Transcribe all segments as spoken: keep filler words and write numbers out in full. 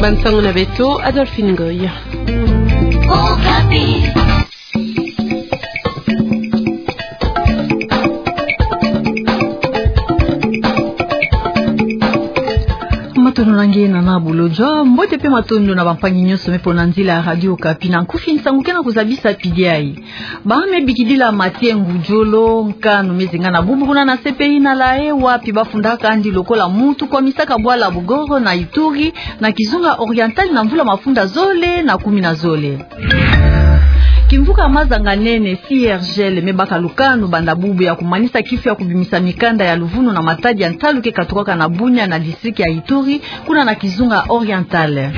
Bansango na beto, Adolphine Ngoy. Okapi. Matondo na nge, Nana Bolodjwa. Mbote pe matondo na bampangi nyonso me pona nzila ya Radio Okapi. Na nkufi nsangu ke na kuzabisa pidi yayi. Ba me bikidila Mathieu Ngudjolo nkanu me zinga na bubu kuna na C P I na La Haye, wapi bafundaka yandi lokola muntu kwamisaka bwala Bogoro na Ituri, na kizunga Oriental na mvula mafunda zole na kumi na zole. Kimvuka Mazanga-Nene, C I R G L, me baka lukanu banda bubu ya kumanisa kifu ya kubimisa mikanda ya luvunu na matadi ya ntalu ke katukaka na Bunia na district ya Ituri, kuna na kizunga Oriental.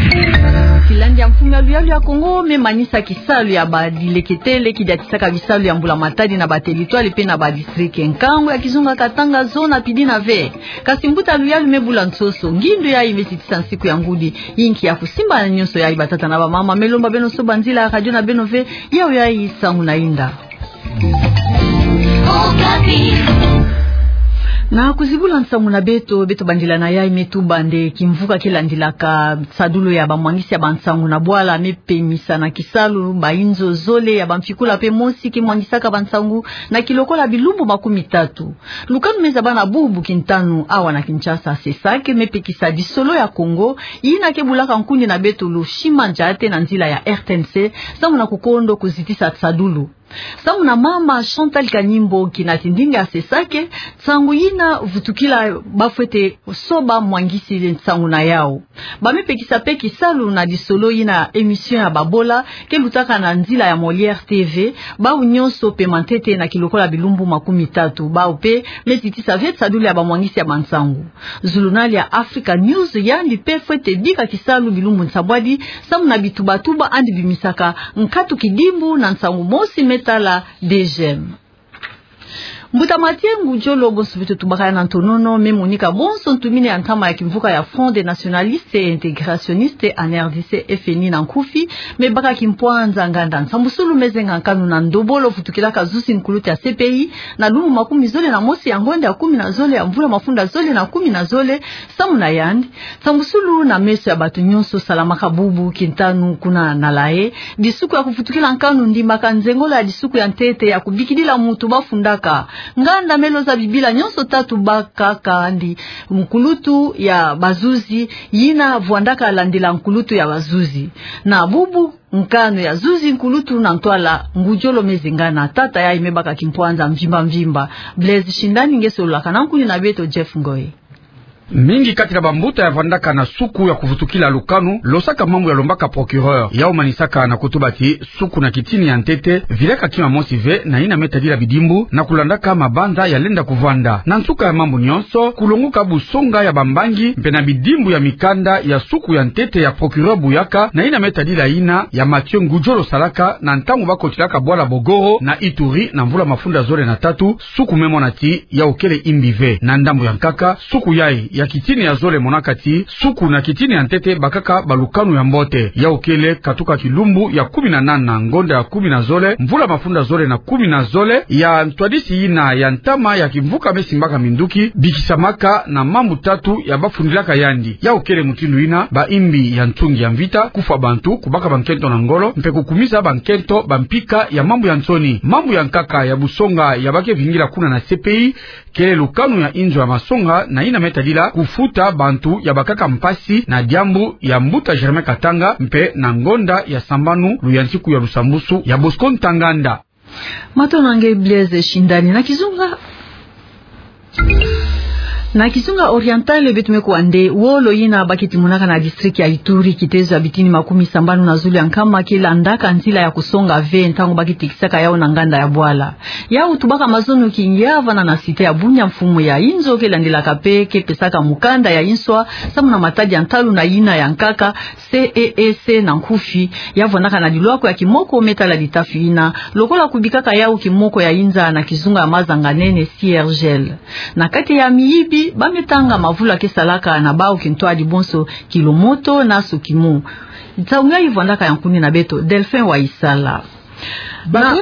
Kilandi ya mfumu ya luyalu ya Kongo me manisa kisalu ya badileketele kidiatisaka bisalu ya mbula matadi na bateritware pe na badistrict. Nkangu ya kizunga Katanga zona pidi na ve. Kasi mbuta luyalu me bula nsoso. Ngindu yayi me zitisa nsiku ya ngudi. Yinki ya kusimba na nyonso yayi, batata na bamama, me lomba beno soba nzila ya radio na beno ve, yawu yayi nsangu na inda. Na kuzibula nsangu na beto, beto bandila na yayi me tuba nde kimvuka ke landilaka nsadulu ya bamwangisi ya bansangu na bwala me pemisa na kisalu bayinzo zole ya bamfikula pe mosi ke mwangisaka bansangu na kilokola bilumbu makumi tatu. Lukanu me zaba na bubu kintanu awa na Kinshasa, CESAC, me pekisa disolo ya Kongo, yina ke bulaka nkundi na beto Lushima Ndjate na nzila ya R T N C, samu na kukondo kuzitisa nsadulu. Samu na mama Chantal Kanimbo, kina tindinga ya CESAC, nsangu yina vutukila bafwete soba mwangisi nsangu na yawu. Ba me pekisa pe kisalu na disolo yina émission ya babola, ke lutaka na nzila ya Molière T V, bawu nyonso pema ntete na kilokola bilumbu makumi tatu, bawu pe me zitisa ve nsadulu ya bamwangisi ya bansangu. Zulunali ya Africa News yandi pe fwete bika kisalu bilumbu nsambwadi, samu na bitubatuba yandi bimisaka nkatu kidimbu na nsangu mosi me tala D G M. Mbuta Mathieu Ngudjolo, bonso beto tubaka ya na ntonono, me monika bonso ntumini ya ntama ya kimvuka ya Front des Nationalistes et Intégrationnistes en R D C, F N I na nkufi, me baka kimpwanza nganda nsambusulu me zenga nkanu na ndobolo vutukilaka zuzi nkulutu ya C P I, na lumbu makumi zole na mosi ya ngonda ya kumi na zole ya mvula mafunda zole na kumi na zole, samu na yandi, nsambusulu na meso ya bato nyonso salamaka bubu kintanu kuna na La Haye, disuku ya kuvutukila nkanu ndimaka nzengolo ya disuku ya ntete ya kubikidila muntu bafundaka. Nganda me loza bibila nyonso tatu bakaka yandi nkulutu ya bazuzi, yina vwandaka landila nkulutu ya bazuzi. Na bubu, nkanu ya zuzi nkulutu na ntwala Ngudjolo me zinga na tata yayi me baka kimpwanza mvimba mvimba. Blaise Shindani nge sololaka na nkuni na beto Jeff Ngoy. Mingi kati na bambuta ya vwandaka na suku ya kuvutukila lukanu, losaka mambu ya lombaka procureur. Yawu manisaka na kutuba ti suku na kitini ya ntete vilaka kima mosi ve na yina me tadila bidimbu, na kulandaka mabanza ya lenda kuvwanda. Na nsuka ya mambu nyonso, kulonguka busonga ya bambangi, mpe na bidimbu ya mikanda ya suku ya ntete ya procureur buyaka, na yina me tadila yina ya Mathieu Ngudjolo salaka na ntangu bakotilaka bwala Bogoro na Ituri na mvula mafunda zole na tatu, suku me mona ti yawu kele yimbi ve. Na ndambu ya nkaka, suku yayi ya kitini ya zole monaka ti suku na kitini ya ntete bakaka balukanu ya mbote. Yawu kele katuka kilumbu ya kumi na nana, ngonda ya kumi na zole, mvula mafunda zole na kumi na zole, ya ntwadisi yina ya ntama ya kimvuka me simbaka minduki, bikisamaka na mambu tatu ya bafundilaka yandi. Yawu kele mutindu yina bayimbi ya ntungi ya mvita, kufwa bantu, kubaka bankento na ngolo, mpe kukumisa bankento bampika ya mambu ya nsoni. Mambu ya nkaka ya busonga ya ba ke vingila kuna na C P I, kele lukanu ya inzo ya masonga na yina me tadila kufuta bantu ya bakaka mpasi na diambu ya mbuta Germain Katanga, mpe na ngonda ya sambanu luyantiku ya lusambusu ya Bosco Ntaganda. Matondo na nge Blaise Shindani. Na kizunga, na kizunga Oriental, beto me kuwa nde wolo yina ba ke timonaka na district ya Ituri, kitezo ya bitini makumi sambanu na zulu ya nkama ke landaka nzila ya kusonga ve ntangu ba ke tekisaka yawu na nganda ya bwala. Yawu tubaka mazono kingia vana na cité ya Bunia, mfumu ya inzo ke landilaka mpe ke pesaka mukanda ya inswa samu na matadi ya ntalu na yina ya nkaka, C E E C na nkufi, ya vwandaka na lilwako ya kimoko me tala litafi yina, lokola kubikaka yawu kimoko ya inza na kizunga ya Mazanga-Nene, C I R G L. Na kati ya miyibi, ba me tanga mavula ke salaka na bawu kintwadi bonso, kilomoto na sokimu. Nsangu yayi vwandaka ya nkuni na beto Delphin Waisala. Na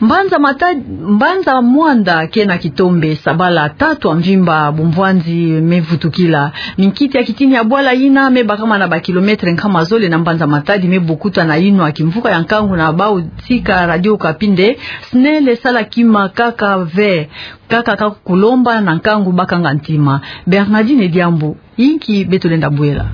Mbanza Mata-, Mbanza Muanda ke na kitombe sabala tatu ya mvimba bumvwanzi me vutukila. Minkiti ya kitini ya bwala yina me bakama na ba kilomètre nkama zole na Mbanza Matadi me bokuta na yinwa kimvuka ya nkangu na bau tika Radio Okapi nde: SNEL sala kima kaka ve, kaka ka kulomba na nkangu bakanga ntima. Bernardine Diambu, yinki beto lenda bwela.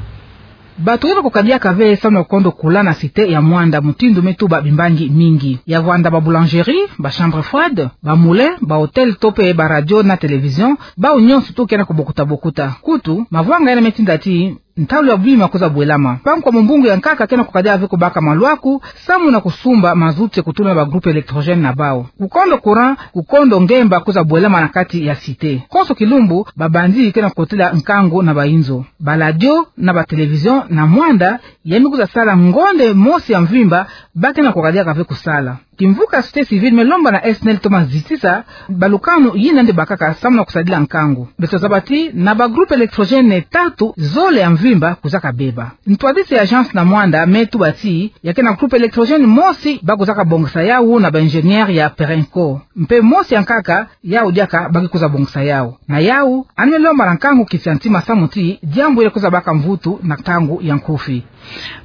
Bato ke na kukadiaka ve samu na kukondo kula na cité ya Muanda mutindu me tuba bimbangi mingi. Ya vwanda ba boulangerie, ba chambre froide, ba moulin, ba hôtel to pe ba radio na télévision, bau nyonso tu ke na kubokuta-bokuta. Kutu, mavwanga yina me tinda ti ntalu ya bima kwiza bwelama. Mpangi wa mumbungu ya nkaka ke na kukadia ve kubaka malwaku samu na kusumba mazout ya kutula na ba groupe électrogène na bau. Kukondo courant, kukondo ngemba kwiza bwelama na kati ya cité. Konso kilumbu, ba bandits ke na kukotila nkangu na ba inzo. Ba radio na ba télévision na Muanda, ya me kwiza sala ngonde mosi ya mvimba, ba ke na kukadiaka ve kusala. Kimvuka ya société civile me lomba na SNEL toma zitisa balukanu yina nde bakaka samu na kusadila nkangu. Beto zaba ti na ba groupe électrogène tatu, zole ya mvimba kwizaka beba. Ntwadisi ya agence na Muanda me tuba ti ya ke na groupe électrogène mosi ba kwizaka bongisa yau na ba ingénieur ya Perenco. Mpe mosi ya nkaka, yau diaka ba ke kwiza bongisa yau. Na yau, yandi me lomba na nkangu kiti ya ntima samu ti diambu yele kwiza baka mvutu na ntangu ya nkufi.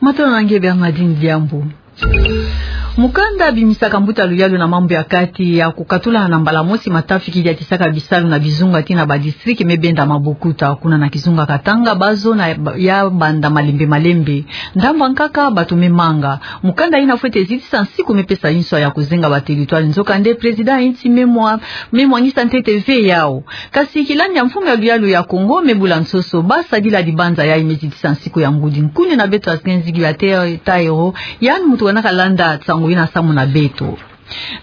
Matondo na nge Bernardine Diambu. Mukanda bimisaka mbuta luyalu na mambu ya kati ya kukatula na mbala mosi matafi ki diatisaka bisalu na bizunga ti na ba district me benda mabokuta. Kuna na kizunga Katanga, ba zona ya banda malembe-malembe. Ndambu ya nkaka bato me manga. Mukanda yina fwete zitisa nsiku me pesa inswa ya kuzenga ba territoire, nzokande président ya insi me mwa-, me mwanisa ntete ve yau. Kasi kilandi ya mfumu ya luyalu ya Kongo me bula nsoso, ba sadila dibanza yayi me zitisa nsiku ya ngudi. Nkuni na beto Asgen Zigi ya Te-, Taero, yandi muntu wanaka landa nsangu yina samu na beto.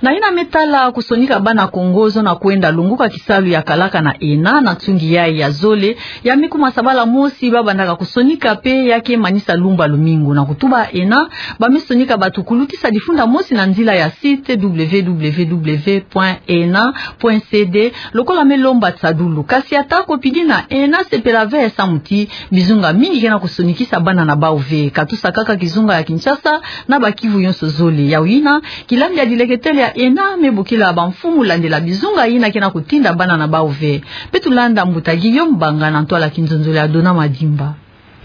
Na yina me tala kusonika bana Kongo zona kwenda longoka kisalu ya kalaka na ENA, na nsungi yayi ya zole, ya me kuma sabala mosi ba bandaka kusonika mpe ya ke manisa lumbu ya lumingu. Na kutuba ENA, ba me sonika bato kulutisa difunda mosi na nzila ya site www point ena point cd, lokola me lomba tiadulu. Kasi ata ko pidi na ENA sepela ve samu ti bizunga mingi ke na kusonikisa bana na bau ve, katusa kaka kizunga ya Kinshasa na ba Kivu yonso zole. Yau yina, kilandi ya dileketele ya ENA me bokila bamfumu landela bizunga yina ke na kutinda bana na bau ve. Beto landa mbuta Guillaume Banga na ntwala kinzonzolo ya Dona Madimba.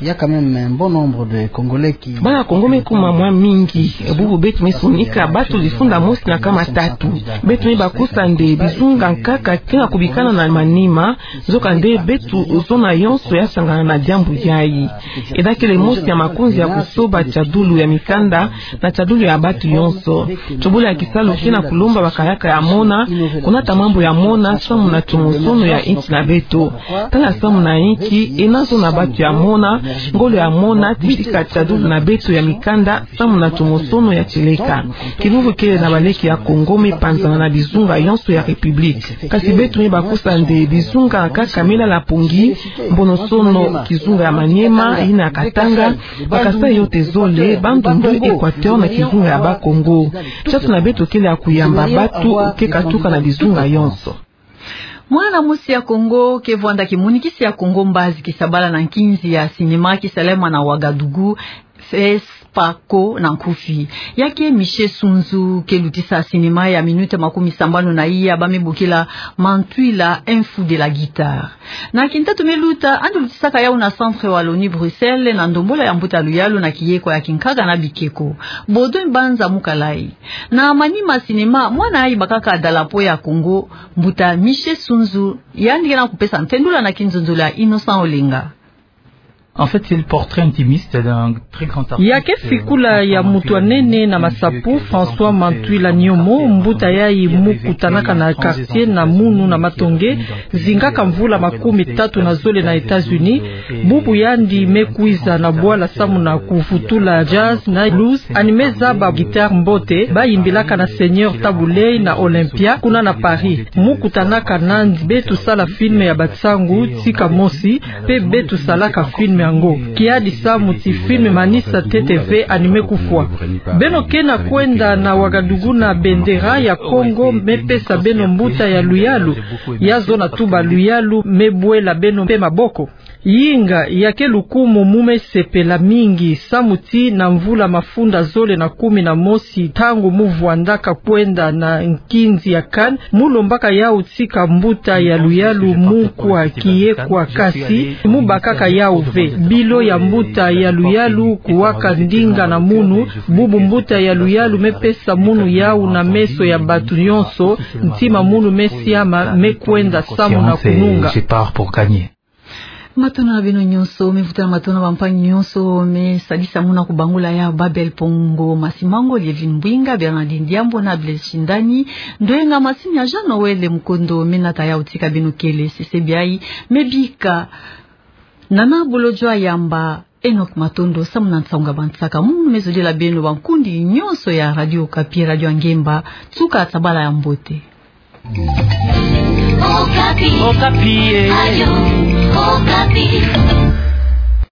Il y a quand même un bon nombre de Congolais qui... Bana Kongo me kuma mwa mingi. E bubu beto me sonika bato difunda mosi na nkama tatu. Beto me bakusa nde bizunga nkaka ke na kubikana na manima, nzokande beto zona yonso ya sangana na diambu yayi. ENA kele mosi ya makonzi ya kusoba tiadulu ya mikanda na tiadulu ya bato yonso. Tobula ya kisalu ke na kulomba bakayaka ya mona, kunata mambu ya mona samu na tomosono ya insi na beto. Tala samu na inki ENA zona bato ya mona, ngolo ya mona, titika tiadulu na beto ya mikanda samu na tomosono ya tieleka. Kivuvu kele na baleke ya Kongo me panzana na bizunga yonso ya République. Kasi beto me bakusa nde bizunga nkaka me lala mpongi, Mbonosono kizunga ya Maniema, yina ya Katanga, ba Kasaï yo te zole, Bandundu, Équateur na kizunga ya Bakongo. Tiatu na beto kele ya kuyamba bato ke katuka na bizunga yonso. Mwana mosi ya Kongo ke vwanda kimonikisi ya Kongo mbazi kisabala na nkinzi ya cinéma kisalema na Ouagadougou, FESPACO na nkufi. Ya ke Michel Sunzu, ke lutisa cinéma ya minute makumi sambanu na iya ba me bokila Mantwila, un fou de la guitare. Na kintatu me luta, yandi lutisaka yau na Centre Wallonie Bruxelles, na ndombolo ya mbuta luyalu na kiyeko ya kinkaka na bikeko. Baudouin Banza Mukalayi. Na manima cinéma, mwana yayi bakaka dalapo ya Kongo, mbuta Michel Sunzu, yandi ke na kupesa ntendula na kinzonzolo ya Innocent Olenga. En fait, c'est le portrait intimiste d'un très grand artiste. Ya ke fikula ya mutu ya nene na masapo, François Mantwila Nyomo, mbuta yayi mu kutanaka na quartier na munu na Matonge, zingaka mvula makumi tatu na zole na États-Unis. Bubu yandi me kwiza na bwala samu na kuvutula jazz na blues, yandi me zaba guitare mbote ba yimbilaka na Seigneur Tabu Ley na Olympia, kuna na Paris. Mu kutanaka na yandi, beto sala film ya Batsangu, Tika Mosi, mpe beto salaka film yango. Kiadi samu ti film emanisa ntete ve yandi me kufwa. Beno ke na kwenda na Ouagadougou na bendera ya Kongo, me pesa beno mbuta ya luyalu. Ya zona tuba luyalu me bwela beno mpe maboko. Yinga ya ke lukumu mu mesepela mingi, samu ti na mvula mafunda zole na kumi na mosi, ntangu mu vwandaka kwenda na nkinzi ya Cannes, mu lombaka yau tika mbuta ya luyalu mu nkwa kiye kwa kasi, mu bakaka yau ve. Bilo ya mbuta ya luyalu kuwaka ndinga na munu, bubu mbuta ya luyalu me pesa munu yau na meso ya batu nyonso, ntima munu me siama, me kwenda samu na kununga. Matondo na beno nyonso, me vutula matondo na bampangi nyonso me sadisa munu kubangula ya Babel Pongo, Masi Mango, Lievin Mbwinga, Bernardine Diambo na Blaise Shindani, ndwenga masini ya Jean Noël Mukondo, me nata yau tika beno kele. Sese biai, me bika Nana Bolodjwa Yamba, Enoch Matondo samu na nsangu ya bansaka. Munu me zolela beno bankundi nyonso ya Radio Okapi, Radio ya Ngemba, nsuka ya sabala ya mbote. Okapi. Okapi, eh. Radio Okapi.